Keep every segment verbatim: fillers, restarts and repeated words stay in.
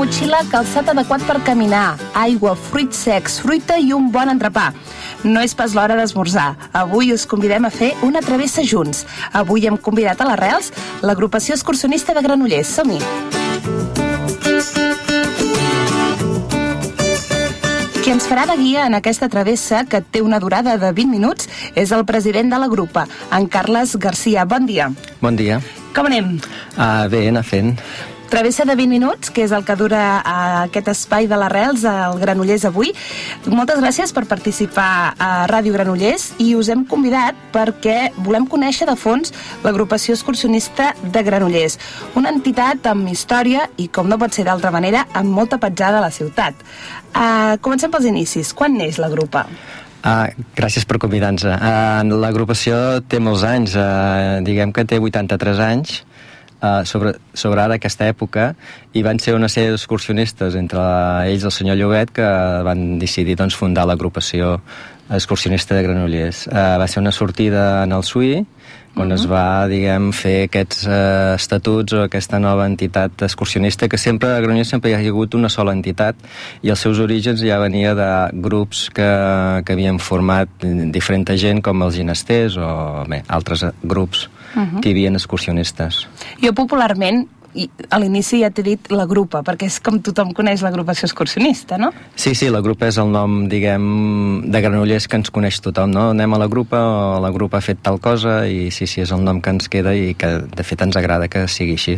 motxilla, calçat adequat per caminar, aigua, fruits secs, fruita i un bon entrepà. No és pas l'hora d'esmorzar. Avui us convidem a fer una travessa junts. Avui hem convidat a l'Arrels l'agrupació excursionista de Granollers. Som-hi! Qui ens farà de guia en aquesta travessa, que té una durada de vint minuts, és el president de la grupa, en Carles Garcia. Bon dia. Bon dia. Com anem? Uh, bé, anar fent. Travessa de vint minuts, que és el que dura uh, aquest espai de l'Arrels al Granollers avui. Moltes gràcies per participar a Ràdio Granollers i us hem convidat perquè volem conèixer de fons l'agrupació excursionista de Granollers, una entitat amb història i, com no pot ser d'altra manera, amb molta petjada a la ciutat. Uh, comencem pels inicis. Quan neix la grupa? Uh, gràcies per convidar-nos. Uh, l'agrupació té molts anys, uh, diguem que té vuitanta-tres anys, Uh, sobre, sobre ara aquesta època, i van ser una sèrie d'excursionistes, entre ells el senyor Llobet, que van decidir doncs, fundar l'agrupació excursionista de Granollers. Uh, va ser una sortida en el Suí, on uh-huh. es va, diguem, fer aquests uh, estatuts o aquesta nova entitat excursionista, que sempre a Granollers sempre hi ha hagut una sola entitat, i els seus orígens ja venia de grups que, que havien format diferent gent, com els ginesters o bé, altres grups uh-huh. que hi havia excursionistes. Jo popularment, i a l'inici ja t'he dit la grupa, perquè és com tothom coneix l'agrupació excursionista, no? Sí, sí, la grupa és el nom, diguem, de Granollers que ens coneix tothom, no? Anem a la grupa, o la grupa ha fet tal cosa, i sí, sí, és el nom que ens queda i que, de fet, ens agrada que sigui així.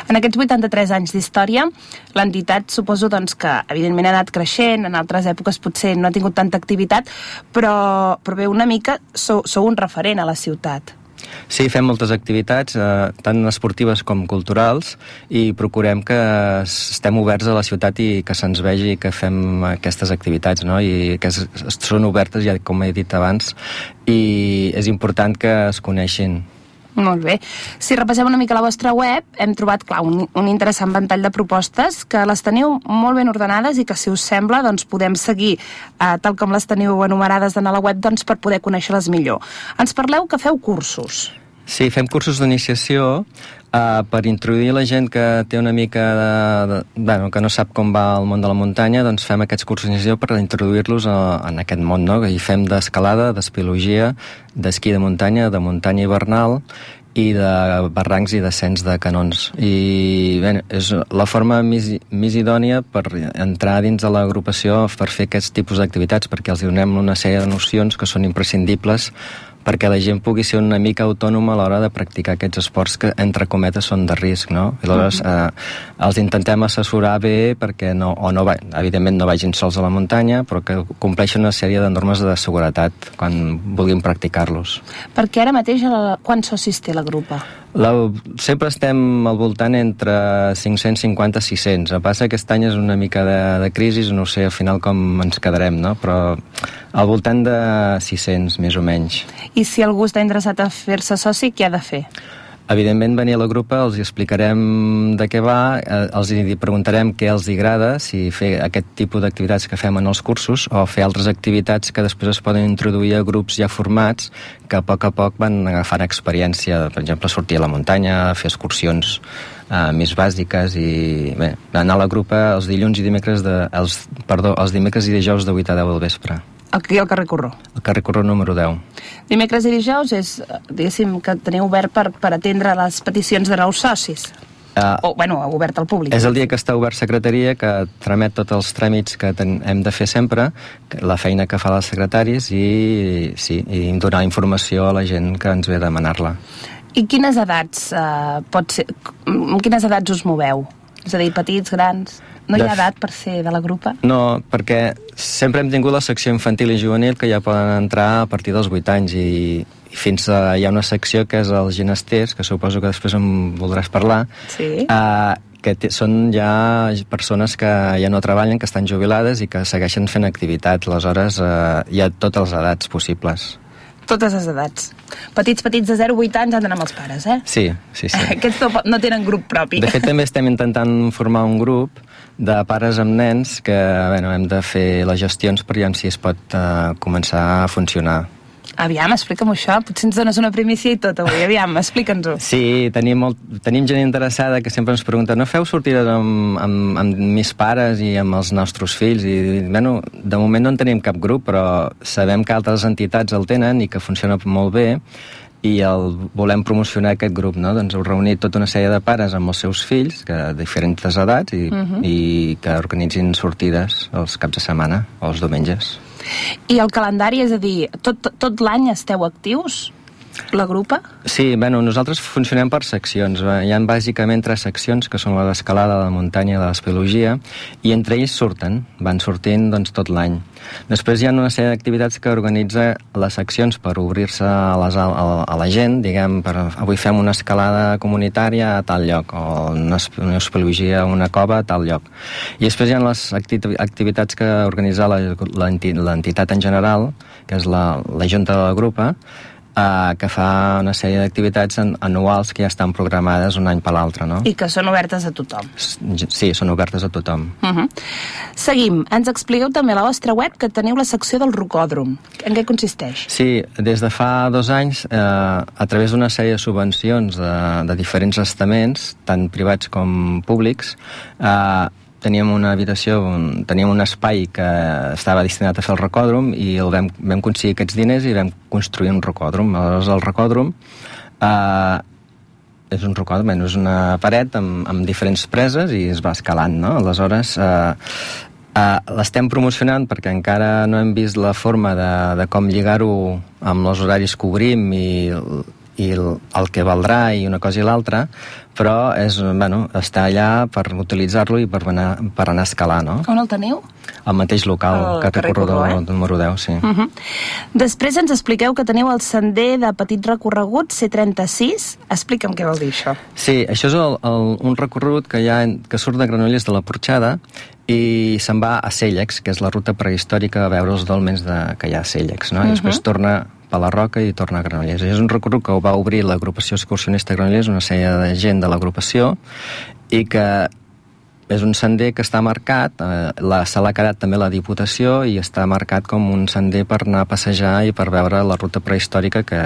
En aquests vuitanta-tres anys d'història, l'entitat suposo doncs, que, evidentment, ha anat creixent, en altres èpoques potser no ha tingut tanta activitat, però, però bé, una mica sou, sou un referent a la ciutat. Sí, fem moltes activitats, eh, tant esportives com culturals, i procurem que estem oberts a la ciutat i que se'ns vegi que fem aquestes activitats, no? I que es, són obertes, ja com he dit abans, i és important que es coneixin. Molt bé. Si repassem una mica la vostra web, hem trobat, clar, un, un interessant ventall de propostes, que les teniu molt ben ordenades i que, si us sembla, doncs podem seguir eh, tal com les teniu enumerades en la web, doncs per poder conèixer-les millor. Ens parleu que feu cursos. Sí, fem cursos d'iniciació uh, per introduir la gent que té una mica de, de, bueno, que no sap com va el món de la muntanya, doncs fem aquests cursos d'iniciació per introduir-los a, en aquest món, no? I fem d'escalada, d'espeleologia, d'esquí de muntanya, de muntanya hivernal i de barrancs i descens de canons. I bé, és la forma més, més idònia per entrar dins de l'agrupació, per fer aquests tipus d'activitats, perquè els donem una sèrie de nocions que són imprescindibles perquè la gent pugui ser una mica autònoma a l'hora de practicar aquests esports que, entre cometes, són de risc, no? I aleshores eh, els intentem assessorar bé perquè no, o no va, evidentment no vagin sols a la muntanya, però que compleixen una sèrie de normes de seguretat quan vulguin practicar-los. Perquè ara mateix, la, quants socis té la grupa? La, sempre estem al voltant entre cinc-cents cinquanta a sis-cents. El que passa que aquest any és una mica de, de crisi, no sé al final com ens quedarem, no? Però al voltant de sis-cents, més o menys. I si algú està interessat a fer-se soci, què ha de fer? Evidentment, venir a la grupa, els explicarem de què va, els preguntarem què els agrada, si fer aquest tipus d'activitats que fem en els cursos o fer altres activitats que després es poden introduir a grups ja formats que a poc a poc van agafant experiència, per exemple, sortir a la muntanya, fer excursions uh, més bàsiques i bé, anar a la grupa els dilluns i dimecres de, els, perdó, els dimecres i dijous de vuit a deu del vespre. Aquí al carrer Corró. El carrer Corró número deu. Dimecres i dijous és, diguéssim, que teniu obert per, per atendre les peticions de nous socis. Uh, o, bueno, obert al públic. És el dia que està obert secretaria, que tramet tots els tràmits que ten, hem de fer sempre, la feina que fa els secretaris i, sí, i donar informació a la gent que ens ve a demanar-la. I quines edats uh, pot ser, amb quines edats us moveu? És a dir, petits, grans... No hi ha edat per ser de la grupa? No, perquè sempre hem tingut la secció infantil i juvenil que ja poden entrar a partir dels vuit anys i, i fins a, hi ha una secció que és els ginesters, que suposo que després em voldràs parlar, sí. uh, que t- són ja persones que ja no treballen, que estan jubilades i que segueixen fent activitat. Aleshores, uh, hi ha totes les edats possibles. Totes les edats. Petits, petits de zero a vuit anys han d'anar amb els pares, eh? Sí, sí, sí. Aquests no tenen grup propi. De fet, també estem intentant formar un grup de pares amb nens que bueno, hem de fer les gestions per veure si es pot uh, començar a funcionar. Aviam, explica'm això, potser ens dones una primícia i tot avui, aviam, explica'ns-ho. Sí, tenim, molt, tenim gent interessada que sempre ens pregunta, no feu sortides amb, amb, amb mis pares i amb els nostres fills? I, bueno, de moment no en tenim cap grup, però sabem que altres entitats el tenen i que funciona molt bé, i el volem promocionar aquest grup, no? Doncs heu reunit tota una sèrie de pares amb els seus fills, que de diferents edats, i, uh-huh. i que organitzin sortides els caps de setmana o els diumenges. I el calendari, és a dir, tot, tot l'any esteu actius? La grupa? Sí, bueno, nosaltres funcionem per seccions. Hi ha bàsicament tres seccions, que són la d'escalada, la muntanya i la d'espeleologia, i entre ells surten, van sortint doncs, tot l'any. Després hi ha una sèrie d'activitats que organitza les seccions per obrir-se a, les, a, a la gent, diguem, per, avui fem una escalada comunitària a tal lloc, o una, una espeleologia a una cova a tal lloc. I després hi ha les activitats que organitza l'entitat en general, que és la, la junta de la grupa, Uh, que fa una sèrie d'activitats anuals que ja estan programades un any per l'altre, no? I que són obertes a tothom. Sí, són obertes a tothom. Uh-huh. Seguim. Ens expliqueu també a la vostra web que teniu la secció del rocòdrom. En què consisteix? Sí, des de fa dos anys, eh, a través d'una sèrie de subvencions de, de diferents estaments, tant privats com públics, eh, teníem una habitació, un, teníem un espai que estava destinat a fer el rocòdrom i el vam, vam aconseguir aquests diners i vam construir un rocòdrom. Aleshores, el rocòdrom eh, és un rocòdrom, bueno, és una paret amb, amb diferents preses i es va escalant, no? Aleshores, eh, eh, l'estem promocionant perquè encara no hem vist la forma de, de com lligar-ho amb els horaris que obrim i i el, el que valdrà i una cosa i l'altra, però és, bueno, està allà per utilitzar-lo i per anar, per anar a escalar, no? On el teniu? Al mateix local, el carrer Corredor eh? número deu, sí. Uh-huh. Després ens expliqueu que teniu el sender de petit recorregut C trenta-sis. Explica'm què vol dir això. Sí, això és el, el, un recorregut que, hi ha, que surt de Granollers de la Porxada i se'n va a Cèllex, que és la ruta prehistòrica a veure els dolmens de, que hi ha a Cèllex, no? I després uh-huh. torna a la Roca i torna a Granollers. És un recorregut que ho va obrir l'agrupació excursionista Granollers, una sèrie de gent de l'agrupació, i que és un sender que està marcat, eh, la, se l'ha quedat també la Diputació i està marcat com un sender per anar a passejar i per veure la ruta prehistòrica que,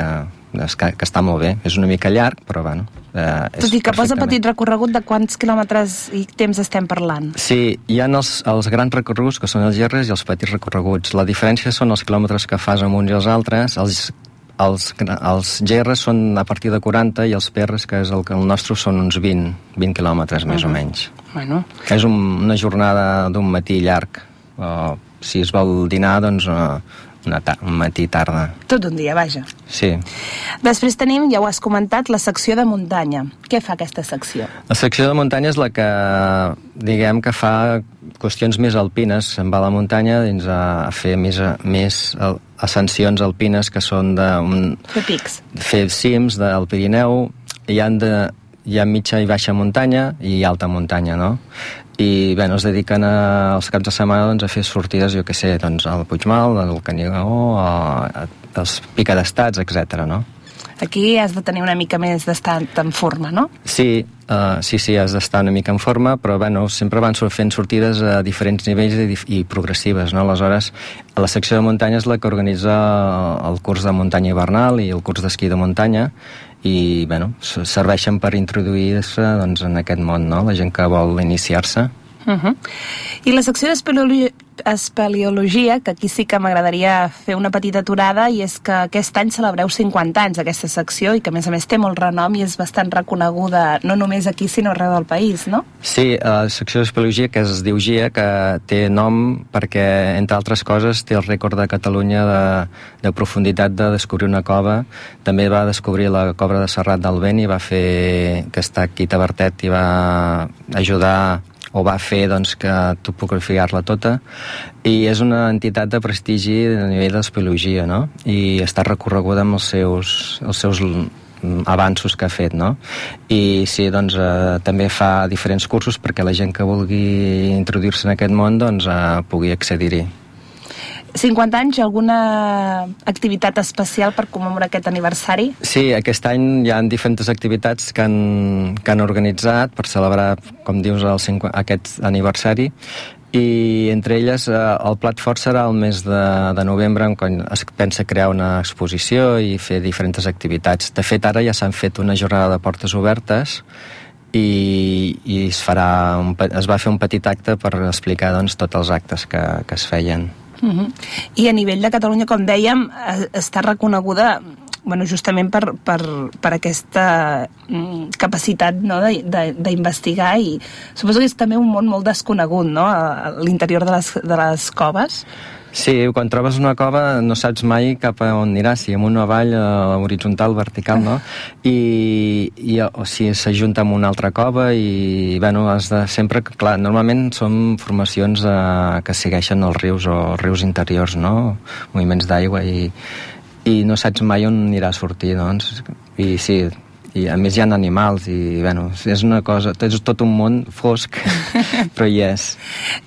que, que està molt bé. És una mica llarg, però bueno... Eh, Tot i que posa petit recorregut, de quants quilòmetres i temps estem parlant? Sí, hi ha els, els grans recorreguts, que són els gerres, i els petits recorreguts. La diferència són els quilòmetres que fas amb uns i els altres. Els, els, els gerres són a partir de quaranta i els perres, que és el, el nostre, són uns vint, vint quilòmetres, més uh-huh. o menys. Bueno. És un, una jornada d'un matí llarg. O, si es vol dinar, doncs... Uh, Una ta- un matí tarda. Tot un dia, vaja. Sí. Després tenim, ja ho has comentat, la secció de muntanya. Què fa aquesta secció? La secció de muntanya és la que, diguem, que fa qüestions més alpines. Se'n va a la muntanya dins a, a fer més, més ascensions alpines, que són de... Un, fer pics. Fer cims del Pirineu. Hi ha, de, hi ha mitja i baixa muntanya i alta muntanya, no? I bé, es dediquen a, als caps de setmana doncs, a fer sortides, jo què sé, doncs, al Puigmal, al Canigó, als Picadestats, etcètera, no? Aquí has de tenir una mica més d'estar en forma, no? Sí, uh, sí, sí, has d'estar una mica en forma, però bueno, sempre van fent sortides a diferents nivells i, i progressives, no? Aleshores, la secció de muntanya és la que organitza el curs de muntanya hivernal i el curs d'esquí de muntanya, i bueno, serveixen per introduir-se doncs, en aquest món, no? La gent que vol iniciar-se. Uh-huh. I la secció d'espeleologia, espeleologia, que aquí sí que m'agradaria fer una petita aturada, i és que aquest any celebreu cinquanta anys d'aquesta secció i que a més a més té molt renom i és bastant reconeguda no només aquí sinó arreu del país, no? Sí, la secció d'espeleologia, que es diu GIA, que té nom perquè, entre altres coses, té el rècord de Catalunya de, de profunditat de descobrir una cova. També va descobrir la cova de Serrat del Vent i va fer, que està aquí a Tavertet, i va ajudar o va fer doncs, que topografiar-la tota, i és una entitat de prestigi a nivell d'espeleologia, no? I està recorreguda amb els seus, els seus avanços que ha fet, no? I sí, doncs, eh, també fa diferents cursos perquè la gent que vulgui introduir-se en aquest món doncs, eh, pugui accedir-hi. cinquanta anys, alguna activitat especial per commemorar aquest aniversari? Sí, aquest any hi ha diferents activitats que han, que han organitzat per celebrar, com dius, el cinquanta, aquest aniversari. i entre elles eh, el plat fort serà el mes de, de novembre, quan es pensa crear una exposició i fer diferents activitats. De fet, ara ja s'han fet una jornada de portes obertes i, i es, farà un, es va fer un petit acte per explicar doncs, tots els actes que, que es feien. Uh-huh. I a nivell de Catalunya, com dèiem, està reconeguda, bueno, justament per, per, per aquesta mm, capacitat, no, d'investigar, i suposo que és també un món molt desconegut, no?, a l'interior de les, de les coves. Sí, quan trobes una cova no saps mai cap a on aniràs, si amunt o avall, horitzontal, vertical, no? I, i o si s'ajunta amb una altra cova i, bueno, has de sempre... Clar, normalment són formacions eh, que segueixen els rius o rius interiors, no? Moviments d'aigua i, i no saps mai on anirà a sortir, doncs. I sí, i a més hi ha animals i, bueno, és una cosa... És tot un món fosc, però hi és.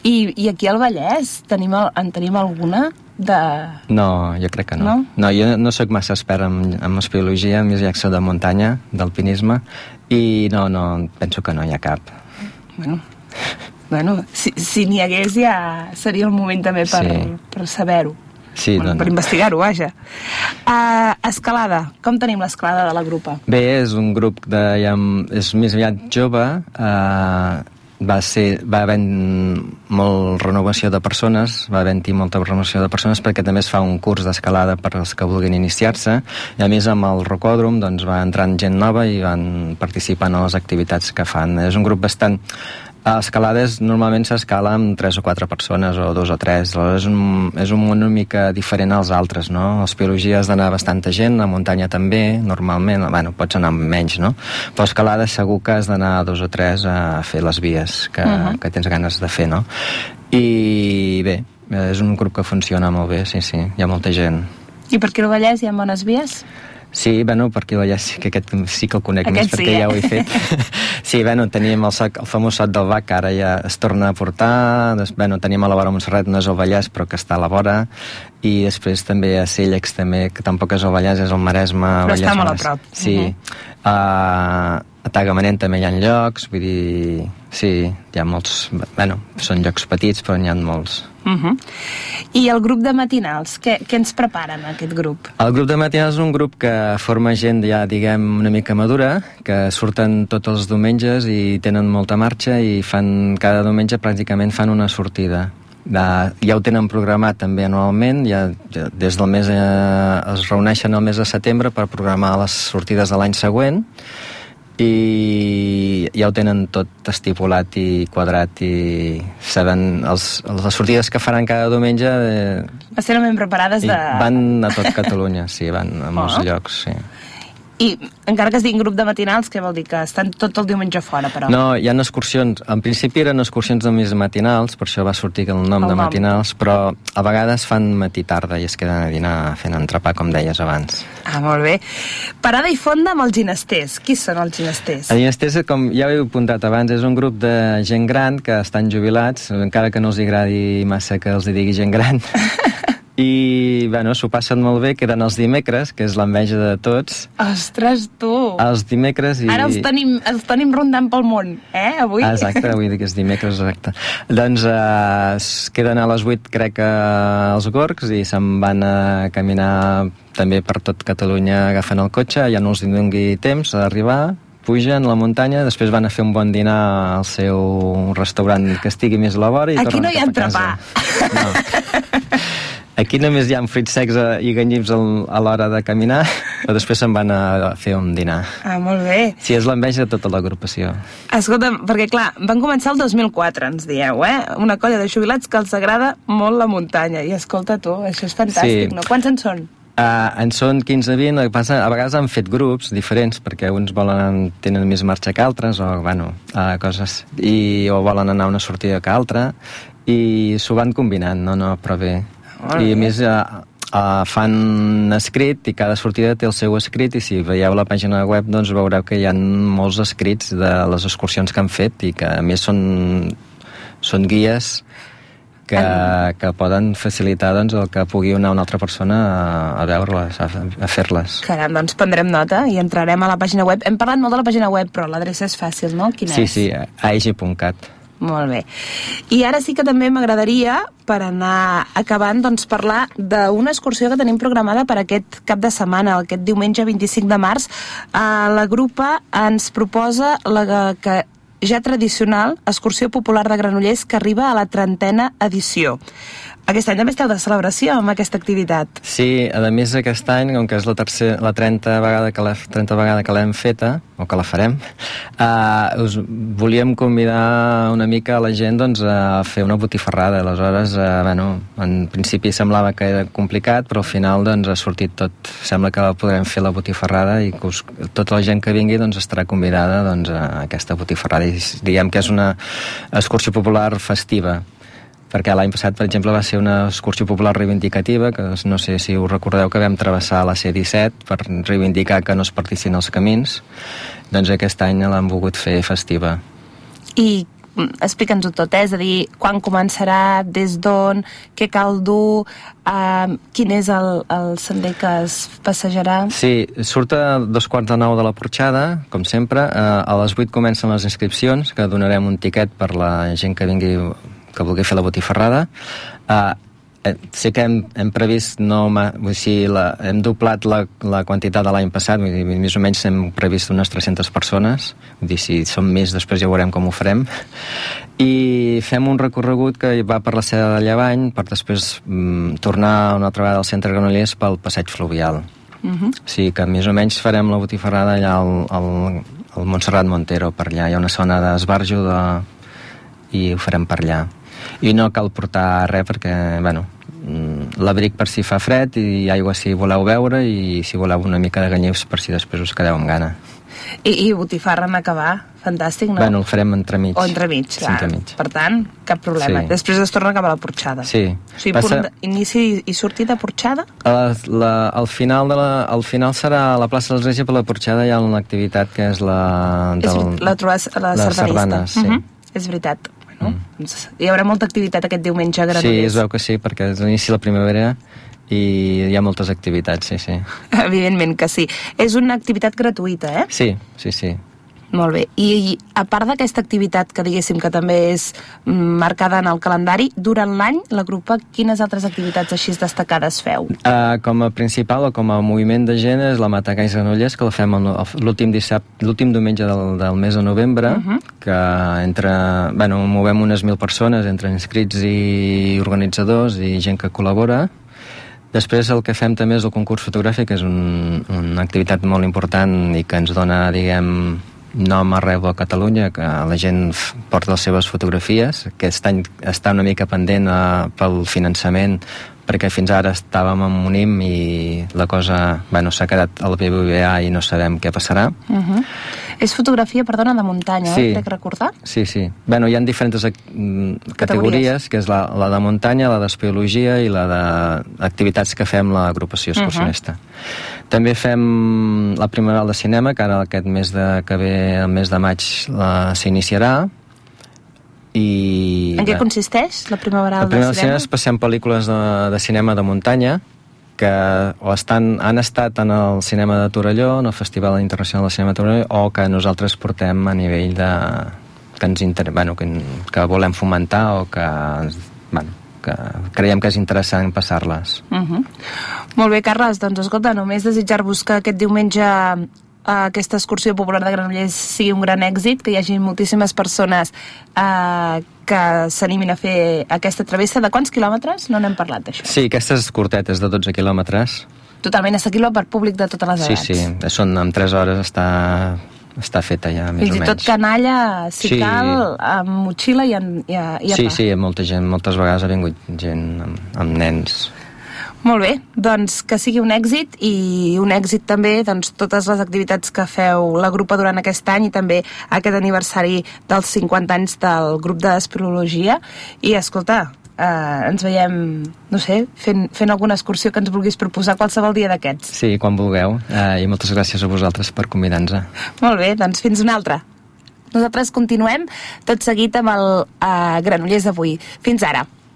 I, i aquí al Vallès tenim, en tenim alguna de... No, jo crec que no. No, no jo no sóc massa expert en, en espeleologia, a més ja soc de muntanya, d'alpinisme, i no, no, penso que no hi ha cap. Bueno, bueno si, si n'hi hagués ja seria el moment també per, sí. per saber-ho. Sí, bueno, no, per no. investigar-ho, vaja. Uh, escalada. Com tenim l'escalada de la grupa? Bé, és un grup de... Ja, és més aviat jove. Uh, va ser... Va haver molt renovació de persones, va haver-hi molta renovació de persones perquè també es fa un curs d'escalada per als que vulguin iniciar-se, i a més amb el rocòdrom doncs, va entrant gent nova i van participant en les activitats que fan. És un grup bastant... A escalades normalment s'escala amb tres o quatre persones, o dos o tres. És un, és un món una mica diferent als altres, no? A l'espeleologia has d'anar bastanta gent, a muntanya també, normalment, bueno, pots anar amb menys, no? Però a escalades segur que has d'anar dos o tres a fer les vies que, uh-huh. que tens ganes de fer, no? I bé, és un grup que funciona molt bé, sí, sí, hi ha molta gent. I per aquí al Vallès hi ha bones vies? Sí, bueno, perquè ja sí que aquest sí que el conec aquest més, sí, perquè eh? ja ho he fet. Sí, bueno, teníem el, soc, el famós Sot del Bac, que ara ja es torna a portar. Des, bueno, teníem a la vora Montserrat, no és el Vallès, però que està a la vora. I després també a Cèllex, també, que tampoc és el Vallès, és el Maresme. Però Vallès, està molt Maresme. a prop. Sí. Uh-huh. Uh, a Tagamanent també hi ha llocs, vull dir... Sí, hi ha molts... Bueno, són llocs petits, però n'hi ha molts. Uh-huh. I el grup de matinals, què, què ens preparen aquest grup? El grup de matinals és un grup que forma gent ja, diguem, una mica madura, que surten tots els diumenges i tenen molta marxa i fan cada diumenge pràcticament fan una sortida. De, ja ho tenen programat també anualment, ja, ja des del mes eh, es reuneixen el mes de setembre per programar les sortides de l'any següent, i ja ho tenen tot estipulat i quadrat i saben els, les sortides que faran cada diumenge eh, Estan ben preparades de... van a tot Catalunya, sí, van a molts oh. llocs, sí. I encara que es diguin grup de matinals, què vol dir? Que estan tot el diumenge fora, però? No, hi ha excursions, en principi eren excursions de més matinals, per això va sortir el nom el de nom. matinals, però a vegades fan matí-tarda i es queden a dinar fent entrepà, com deies abans. Ah, molt bé. Parada i fonda amb els ginesters. Qui són els ginesters? Els ginesters, com ja ho he apuntat abans, és un grup de gent gran que estan jubilats, encara que no els agradi massa que els digui gent gran. I, bueno, s'ho passen molt bé, queden els dimecres, que és l'enveja de tots. Ostres, tu! Els dimecres i... Ara els tenim, els tenim rondant pel món, eh, avui? Ah, exacte, avui que és dimecres, exacte. Doncs eh, es queden a les vuit, crec, als Gorgs, i se'n van a caminar també per tot Catalunya agafant el cotxe, ja no els doni temps d'arribar, pugen a la muntanya, després van a fer un bon dinar al seu restaurant que estigui més a la vora i aquí tornen no hi ha entrepà. No. Aquí només hi ha frits secs i ganyips a l'hora de caminar, però després se'n van a fer un dinar. Ah, molt bé. Sí, és l'enveja de tota l'agrupació. Escolta, perquè clar, van començar el dos mil quatre, ens dieu, eh? Una colla de jubilats que els agrada molt la muntanya. I escolta tu, això és fantàstic, sí. No? Quants en són? Uh, en són quinze vint, a vegades han fet grups diferents, perquè uns volen, tenen més marxa que altres, o, bueno, uh, coses, i, o volen anar a una sortida que altra, i s'ho van combinant, no, no, però bé. I a més uh, uh, fan escrit i cada sortida té el seu escrit, i si veieu la pàgina web doncs veureu que hi ha molts escrits de les excursions que han fet i que a més són, són guies que, que poden facilitar doncs, el que pugui anar una altra persona a, a veure-les, a, a fer-les. Caram, doncs prendrem nota i entrarem a la pàgina web. Hem parlat molt de la pàgina web, però l'adreça és fàcil, no? Quina sí, és? Sí, sí, aegi punt cat. Molt bé. I ara sí que també m'agradaria, per anar acabant, doncs parlar d'una excursió que tenim programada per aquest cap de setmana, aquest diumenge vint-i-cinc de març. Eh, la grupa ens proposa la que ja tradicional excursió popular de Granollers que arriba a la trentena edició. Aquest any també esteu de celebració amb aquesta activitat. Sí, a més aquest any, com que és la, tercera, la trenta vegada que la, trenta vegada que l'hem feta, o que la farem, eh, us volíem convidar una mica a la gent doncs, a fer una botifarrada. Aleshores, eh, bueno, en principi semblava que era complicat, però al final doncs, ha sortit tot. Sembla que podrem fer la botifarrada i que us, tota la gent que vingui doncs, estarà convidada doncs, a aquesta botifarrada. I diguem que és una excursió popular festiva, perquè l'any passat, per exemple, va ser una excursió popular reivindicativa, que no sé si us recordeu que vam travessar la C disset per reivindicar que no es partissin els camins. Doncs aquest any l'han volgut fer festiva. I explica'ns-ho tot, eh? És a dir, quan començarà, des d'on, què cal dur, eh, quin és el, el sender que es passejarà? Sí, surt a dos quarts de nou de la Porxada, com sempre. Eh, a les vuit comencen les inscripcions, que donarem un tiquet per la gent que vingui que vulgui fer la botifarrada. Uh, eh, sé que hem, hem previst no, vull dir, la, hem doblat la, la quantitat de l'any passat, vull dir, més o menys hem previst unes tres-centes persones, vull dir, si som més després ja veurem com ho farem, i fem un recorregut que va per la Seda de Llevant per després mm, tornar una altra vegada al centre Granollers pel passeig fluvial. Uh-huh. O sigui que més o menys farem la botifarrada allà al, al, al Montserrat Montero, per allà hi ha una zona d'esbarjo de... i ho farem per allà. I no cal portar res perquè, bueno, l'abric per si fa fred i aigua si voleu beure i si voleu una mica de ganyius per si després us quedeu amb gana. I, i botifarra en acabar, fantàstic, no? Bueno, el farem entremig. O entremig, clar. Entremig. Per tant, cap problema. Sí. Després es torna cap a la Porxada. Sí. O sigui, Passa... punt inici i sortida Porxada? La, la, al, final de la, al final serà a la plaça de l'Església, per la Porxada hi ha una activitat que és la... Del, és la trobada la sardanista. Sardanes, sí. Uh-huh. És veritat. No? Mm. Hi haurà molta activitat aquest diumenge a Granollers. Sí, es veu que sí, perquè és l'inici de la primavera i hi ha moltes activitats, sí, sí. Evidentment que sí. És una activitat gratuïta, eh? Sí, sí, sí. Molt bé. I, i a part d'aquesta activitat que diguéssim que també és marcada en el calendari, durant l'any la grupa quines altres activitats així destacades feu? Uh, com a principal o com a moviment de gent és la Matacais Granollers, que la fem l'últim dissabte, l'últim diumenge del, del mes de novembre, uh-huh. que entre, bueno, movem unes mil persones entre inscrits i organitzadors i gent que col·labora. Després el que fem també és el concurs fotogràfic, que és un, una activitat molt important i que ens dona, diguem, nom arreu de Catalunya, que la gent porta les seves fotografies. Aquest any està una mica pendent uh, pel finançament, perquè fins ara estàvem en un I M I i la cosa, bueno, s'ha quedat al B B V A i no sabem què passarà. Uh-huh. És fotografia, perdona, de muntanya, sí. eh? Crec recordar? Sí, sí. Bueno, hi ha diferents categories, categories que és la, la de muntanya, la d'espeleologia i la d'activitats que fem l'agrupació excursionista. Uh-huh. També fem la Primaveral de Cinema, que ara aquest mes de, que ve, el mes de maig, s'iniciarà. I, en què consisteix la Primaveral de Cinema? La Primaveral de Cinema és passem pel·lícules de, de cinema de muntanya que o estan, han estat en el cinema de Torelló, en el Festival Internacional de Cinema de Torelló, o que nosaltres portem a nivell de... que, ens inter... bueno, que, que volem fomentar o que, bueno, que creiem que és interessant passar-les. Uh-huh. Molt bé, Carles, doncs escolta, només desitjar-vos que aquest diumenge aquesta excursió popular de Granollers sigui un gran èxit, que hi hagi moltíssimes persones eh, que s'animin a fer aquesta travessa. De quants quilòmetres? No n'hem parlat, d'això. Sí, aquestes curtetes de dotze quilòmetres. Totalment assequible per públic de totes les edats. Sí, sí, són en tres hores està, està feta ja, més Fins o menys. Fins i tot canalla, si sí. cal, amb motxilla i, en, i, a, i a Sí, pa. sí, molta gent, moltes vegades ha vingut gent amb, amb nens. Molt bé, doncs que sigui un èxit i un èxit també doncs, totes les activitats que feu la grupa durant aquest any i també aquest aniversari dels cinquanta anys del grup d'espeleologia. I escolta, eh, ens veiem, no sé, fent, fent alguna excursió que ens vulguis proposar qualsevol dia d'aquests. Sí, quan vulgueu, eh, i moltes gràcies a vosaltres per convidar-nos. Molt bé, doncs fins una altra. Nosaltres continuem tot seguit amb el eh, Granollers d'avui. Fins ara.